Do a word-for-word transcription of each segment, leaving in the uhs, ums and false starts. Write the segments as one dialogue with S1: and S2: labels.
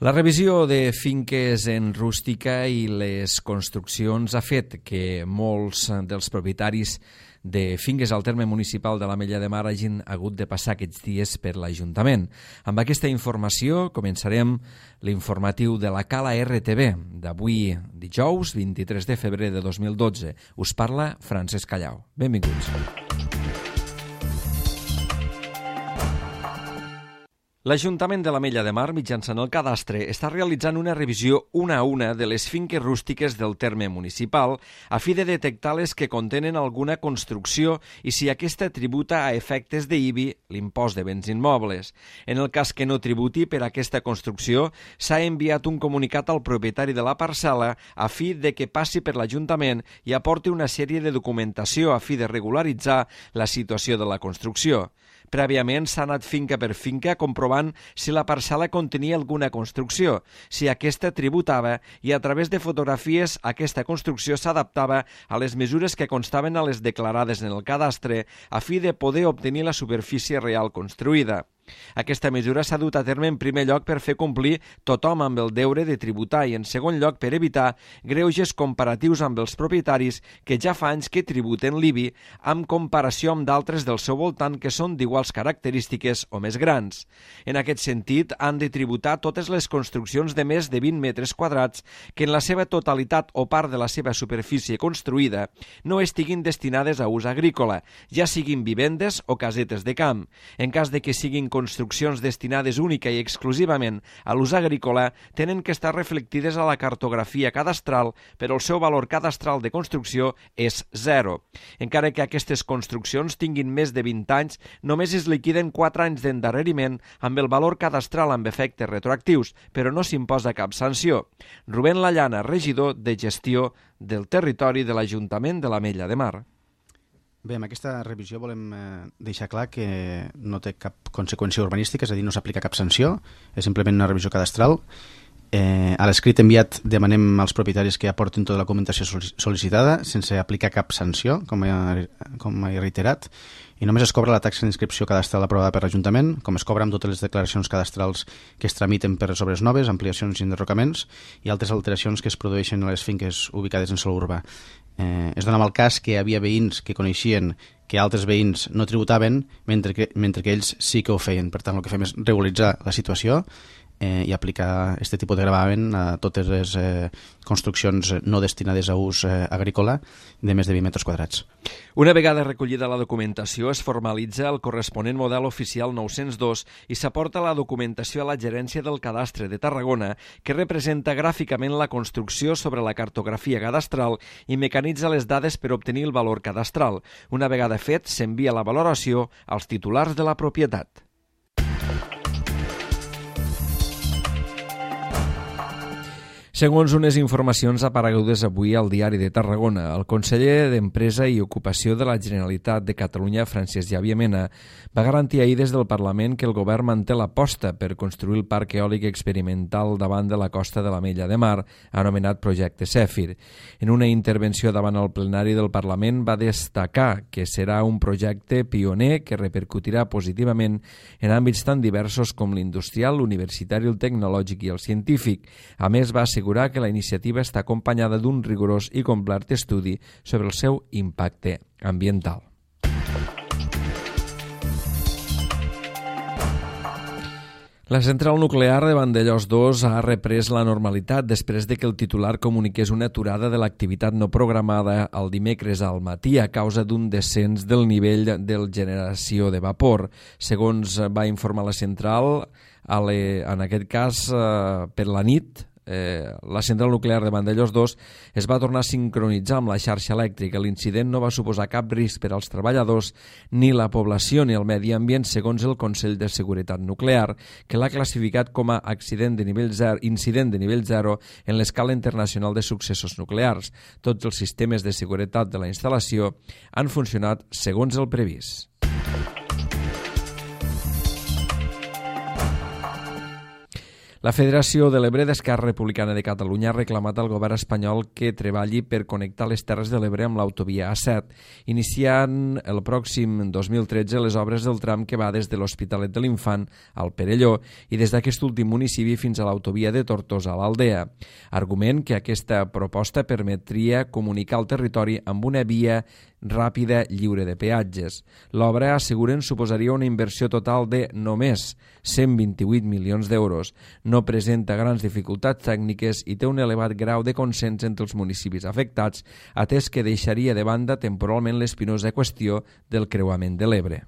S1: La revisió de finques en rústica i les construccions ha fet que molts dels propietaris de finques al terme municipal de l'Ametlla de Mar hagin hagut de passar aquests dies per l'Ajuntament. Amb aquesta informació començarem l'informatiu de la Cala R T V d'avui dijous vint-i-tres de febrer de dos mil dotze. Us parla Francesc Callau. Benvinguts. L'Ajuntament de l'Ametlla de Mar, mitjançant el cadastre, està realitzant una revisió una a una de les finques rústiques del terme municipal a fi de detectar les que contenen alguna construcció i si aquesta tributa a efectes d'I B I, l'impost de béns immobles. En el cas que no tributi per aquesta construcció, s'ha enviat un comunicat al propietari de la parcel·la a fi de que passi per l'Ajuntament i aporti una sèrie de documentació a fi de regularitzar la situació de la construcció. Prèviament s'ha anat finca per finca comprovant si la parcel·la contenia alguna construcció, si aquesta tributava i a través de fotografies aquesta construcció s'adaptava a les mesures que constaven a les declarades en el cadastre a fi de poder obtenir la superfície real construïda. Aquesta mesura s'ha dut a terme en primer lloc per fer complir tothom amb el deure de tributar i en segon lloc per evitar greuges comparatius amb els propietaris que ja fa anys que tributen l'I B I en comparació amb d'altres del seu voltant que són d'iguals característiques o més grans. En aquest sentit, han de tributar totes les construccions de més de vint metres quadrats que en la seva totalitat o part de la seva superfície construïda no estiguin destinades a ús agrícola, ja siguin vivendes o casetes de camp. En cas de que siguin construccions destinades única i exclusivament a l'ús agrícola tenen que estar reflectides a la cartografia cadastral, però el seu valor cadastral de construcció és zero. Encara que aquestes construccions tinguin més de vint anys, només es liquiden quatre anys d'endarreriment amb el valor cadastral amb efectes retroactius, però no s'imposa cap sanció. Rubén Lallana, regidor de Gestió del Territori de l'Ajuntament de l'Ametlla de Mar.
S2: Bé, amb aquesta revisió volem eh, deixar clar que no té cap conseqüència urbanística, és a dir, no s'aplica cap sanció, és simplement una revisió cadastral. Eh, a l'escrit enviat demanem als propietaris que aportin tota la documentació sol·licitada sense aplicar cap sanció, com he, com he reiterat, i només es cobra la taxa d'inscripció cadastral aprovada per l'Ajuntament, com es cobra amb totes les declaracions cadastrals que es tramiten per les obres noves, ampliacions i enderrocaments i altres alteracions que es produeixen a les finques ubicades en sòl urbà. Eh, es donava el cas que hi havia veïns que coneixien que altres veïns no tributaven mentre que, mentre que ells sí que ho feien. Per tant, el que fem és regularitzar la situació eh, i aplicar aquest tipus de gravamen a totes les eh, construccions no destinades a ús eh, agrícola de més de vint metres quadrats.
S1: Una vegada recollida la documentació, es formalitza el corresponent model oficial nou-cents dos i s'aporta la documentació a la Gerència del Cadastre de Tarragona, que representa gràficament la construcció sobre la cartografia cadastral i mecanitza les dades per obtenir el valor cadastral. Una vegada fet, s'envia la valoració als titulars de la propietat. Segons unes informacions aparegudes avui al Diari de Tarragona, el conseller d'Empresa i Ocupació de la Generalitat de Catalunya, Francesc Xavier Mena, va garantir ahir des del Parlament que el govern manté l'aposta per construir el parc eòlic experimental davant de la costa de l'Ametlla de Mar, anomenat Projecte Zèfir. En una intervenció davant el plenari del Parlament va destacar que serà un projecte pioner que repercutirà positivament en àmbits tan diversos com l'industrial, l'universitari, el tecnològic i el científic. A més, va assegurar que la iniciativa està acompanyada d'un rigorós i complet estudi sobre el seu impacte ambiental. La central nuclear de Vandellòs dos ha reprès la normalitat després de que el titular comuniqués una aturada de l'activitat no programada el dimecres al matí a causa d'un descens del nivell de generació de vapor. Segons va informar la central, en aquest cas per la nit, Eh, la central nuclear de Vandellòs dos es va tornar a sincronitzar amb la xarxa elèctrica. L'incident no va suposar cap risc per als treballadors, ni la població ni el medi ambient, segons el Consell de Seguretat Nuclear, que l'ha classificat com a accident de nivell zero, incident de nivell zero en l'escala internacional de successos nuclears. Tots els sistemes de seguretat de la instal·lació han funcionat segons el previst. La Federació de l'Ebre d'Esquerra Republicana de Catalunya ha reclamat al govern espanyol que treballi per connectar les Terres de l'Ebre amb l'autovia A set, iniciant el pròxim dos mil tretze les obres del tram que va des de l'Hospitalet de l'Infant al Perelló i des d'aquest últim municipi fins a l'autovia de Tortosa a l'Aldea. Argument que aquesta proposta permetria comunicar el territori amb una via ràpida lliure de peatges. L'obra, asseguren, suposaria una inversió total de només cent vint-i-vuit milions d'euros. No presenta grans dificultats tècniques i té un elevat grau de consens entre els municipis afectats, atès que deixaria de banda temporalment l'espinosa qüestió del creuament de l'Ebre.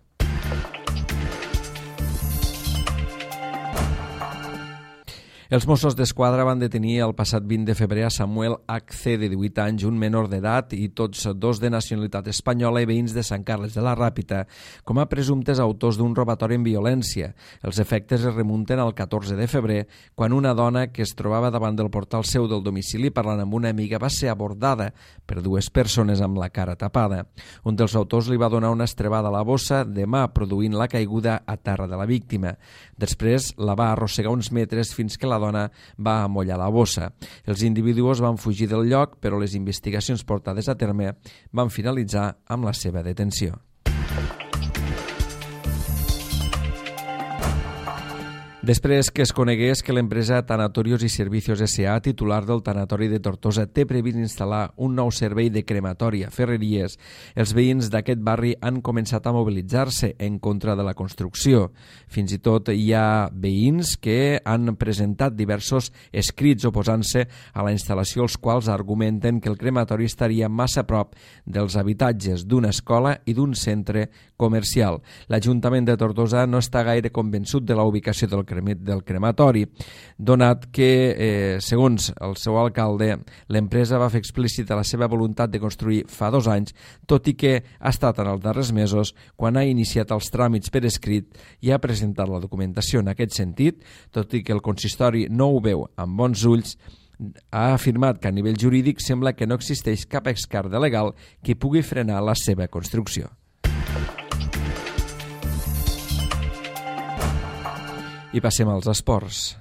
S1: Els Mossos d'Esquadra van detenir el passat vint de febrer a Samuel H C, de divuit anys, un menor d'edat, i tots dos de nacionalitat espanyola i veïns de Sant Carles de la Ràpita, com a presumptes autors d'un robatori en violència. Els efectes es remunten al catorze de febrer, quan una dona que es trobava davant del portal seu del domicili parlant amb una amiga va ser abordada per dues persones amb la cara tapada. Un dels autors li va donar una estrebada a la bossa de mà, produint la caiguda a terra de la víctima. Després la va arrossegar uns metres fins que la dona va amollar la bossa. Els individus van fugir del lloc, però les investigacions portades a terme van finalitzar amb la seva detenció. Després que es conegués que l'empresa Tanatorios i Servicios S A, titular del tanatori de Tortosa, té previst instal·lar un nou servei de crematori a Ferreries, els veïns d'aquest barri han començat a mobilitzar-se en contra de la construcció. Fins i tot hi ha veïns que han presentat diversos escrits oposant-se a la instal·lació, els quals argumenten que el crematori estaria massa a prop dels habitatges d'una escola i d'un centre comercial. L'Ajuntament de Tortosa no està gaire convençut de la ubicació del del crematori, donat que, eh, segons el seu alcalde, l'empresa va fer explícita la seva voluntat de construir fa dos anys, tot i que ha estat en els darrers mesos quan ha iniciat els tràmits per escrit i ha presentat la documentació en aquest sentit, tot i que el consistori no ho veu amb bons ulls. Ha afirmat que a nivell jurídic sembla que no existeix cap escarda legal que pugui frenar la seva construcció. I passem als esports.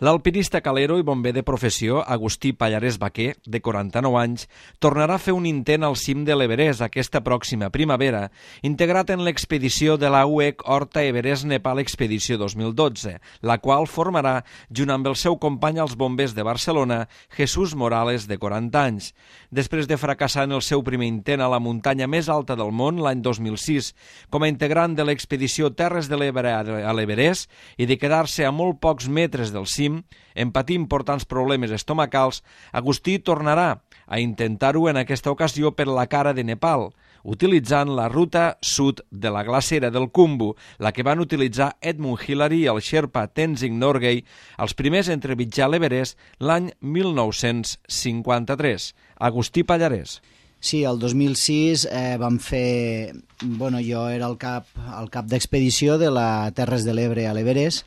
S1: L'alpinista calero i bomber de professió, Agustí Pallarès Baquer, de quaranta-nou anys, tornarà a fer un intent al cim de l'Everest aquesta pròxima primavera, integrat en l'expedició de la U E C Horta Everest Nepal Expedició dos mil dotze, la qual formarà, junt amb el seu company als bombers de Barcelona, Jesús Morales, de quaranta anys. Després de fracassar en el seu primer intent a la muntanya més alta del món l'any dos mil sis, com a integrant de l'expedició Terres de l'Ebre a l'Everest, i de quedar-se a molt pocs metres del cim, en patir importants problemes estomacals, Agustí tornarà a intentar-ho en aquesta ocasió per la cara de Nepal, utilitzant la ruta sud de la glacera del Khumbu, la que van utilitzar Edmund Hillary i el Sherpa Tenzing Norgay, els primers a entreviatjar l'Everest l'any mil nou-cents cinquanta-tres. Agustí Pallarès.
S3: Sí, el dos mil sis eh, vam fer... Bueno, jo era el cap, el cap d'expedició de la Terres de l'Ebre a l'Everest,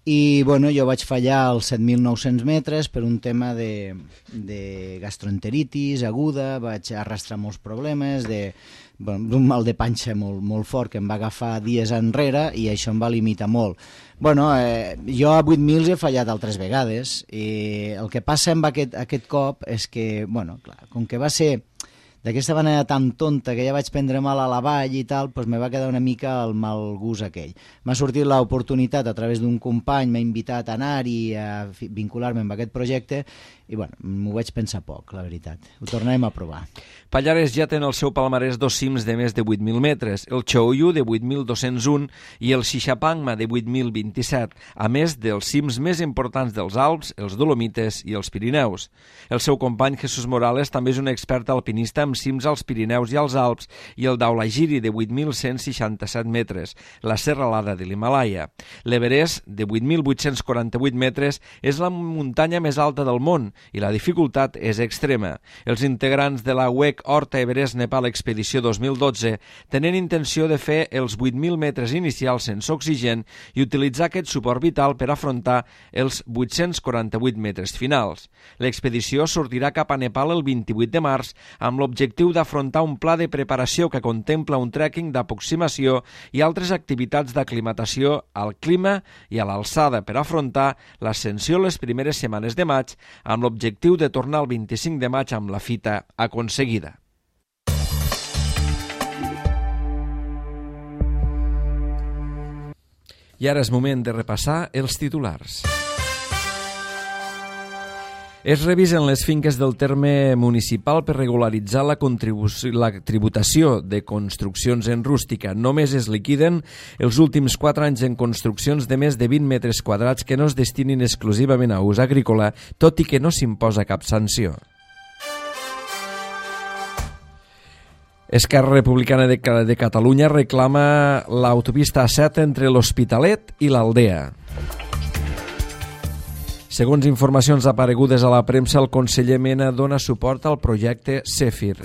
S3: i bueno, jo vaig fallar als set mil nou-cents metres per un tema de, de gastroenteritis aguda, vaig arrastrar molts problemes, de, bueno, d'un mal de panxa molt, molt fort que em va agafar dies enrere i això em va limitar molt. Bueno, eh, jo a vuit mil he fallat altres vegades i el que passa amb aquest, aquest cop és que, bueno, clar, com que va ser d'aquesta manera tan tonta que ja vaig prendre mal a la vall i tal, doncs me va quedar una mica el mal gust aquell. M'ha sortit l'oportunitat a través d'un company, m'ha invitat a anar-hi, a vincular-me amb aquest projecte, i bueno, m'ho vaig pensar poc, la veritat. Ho tornarem a provar.
S1: Pallarès ja té en el seu palmarès dos cims de més de vuit mil metres, el Choyu de vuit mil dos-cents un i el Xixapangma de vuit mil vint-i-set, a més dels cims més importants dels Alps, els Dolomites i els Pirineus. El seu company Jesús Morales també és un expert alpinista amb cims als Pirineus i als Alps i el Dhaulagiri de vuit mil cent seixanta-set metres, la serralada de l'Himàlaia. L'Everest, de vuit mil vuit-cents quaranta-vuit metres, és la muntanya més alta del món i la dificultat és extrema. Els integrants de la W E C Horta Everest Nepal Expedició dos mil dotze tenen intenció de fer els vuit mil metres inicials sense oxigen i utilitzar aquest suport vital per afrontar els vuit-cents quaranta-vuit metres finals. L'expedició sortirà cap a Nepal el vint-i-vuit de març amb l'objectiu d'afrontar un pla de preparació que contempla un trekking d'aproximació i altres activitats d'aclimatació al clima i a l'alçada per afrontar l'ascensió les primeres setmanes de maig amb l'objectiu de tornar el vint-i-cinc de maig amb la fita aconseguida. I ara és moment de repassar els titulars. Es revisen les finques del terme municipal per regularitzar la, la tributació de construccions en rústica. Només es liquiden els últims quatre anys en construccions de més de vint metres quadrats que no es destinin exclusivament a ús agrícola, tot i que no s'imposa cap sanció. Esquerra Republicana de, de Catalunya reclama l'autopista A set entre l'Hospitalet i l'Aldea. Segons informacions aparegudes a la premsa, el conseller Mena dona suport al projecte Zèfir.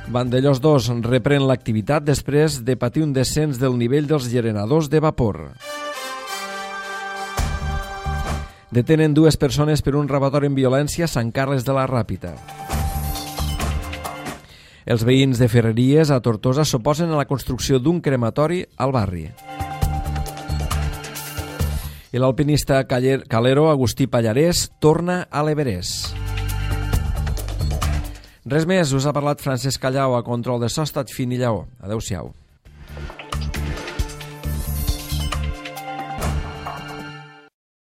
S1: Vandellòs dos reprèn l'activitat després de patir un descens del nivell dels generadors de vapor. Detenen dues persones per un robatori en violència a Sant Carles de la Ràpita. Els veïns de Ferreries a Tortosa s'oposen a la construcció d'un crematori al barri. I l'alpinista calero Agustí Pallarès torna a l'Everest. Res més, us ha parlat Francesc Callau a control de so, estat fin i lleó. Adéu-siau.